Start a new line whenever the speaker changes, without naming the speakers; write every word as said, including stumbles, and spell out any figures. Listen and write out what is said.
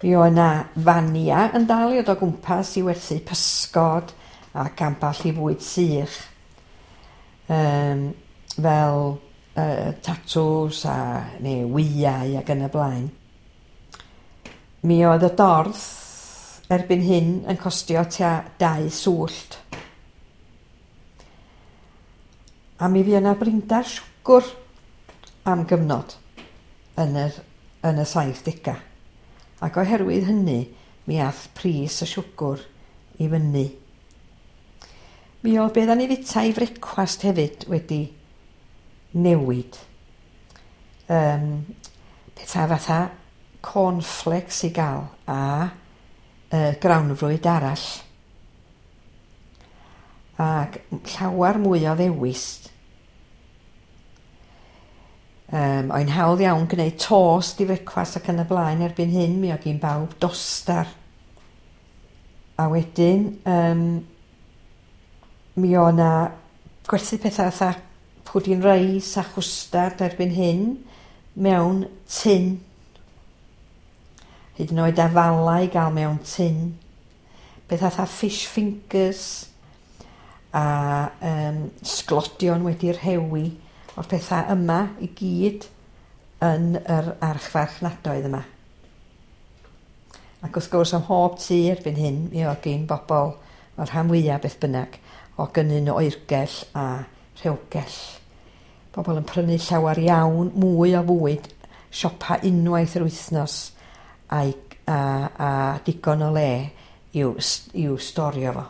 Mi oedd 'na fania yn dal i fod o gwmpas i werthu pysgod ac ambell i fwyd sych. Yym fel uh, tatws a neu wyau ac yn y blaen. Mi oedd y dorth erbyn hyn yn costio tua dau swllt. A mi fuo 'na brinder siwgr am gyfnod yn yr yn y saithdega. Ac oherwydd hynny mi ath pris y siwgr i fyny. Mi oedd be odda ni fita i frecwast hefyd wedi newid. Yym petha fatha cornflakes i ga'l a uh, grawnfwyd arall. Ac llawar mwy o ddewis. Yym oedd hi'n hawdd iawn gwneud tost i frecwast ac yn y blaen erbyn hyn mi oedd gin bawb dostar. A wedyn yym mi oedd 'na gwerthu pethau fatha pwdin reis a chwstard erbyn hyn mewn tun. Hyd yn oed afalau i gael mewn tun. Pethau fatha fish fingers a yym sglodion wedi rhewi. O'r pethau yma i gyd yn yr archfarchnadoedd yma. Ac wrth gwrs ym mhob tŷ erbyn hyn mi oedd gin bobl o'r rhan fwyaf beth bynnag o gynnyn oergell a rhewgell. Bobl yn prynu llawer iawn mwy o fwyd, siopa unwaith yr wythnos a'i, a, a digon o le i'w, i'w storio fo.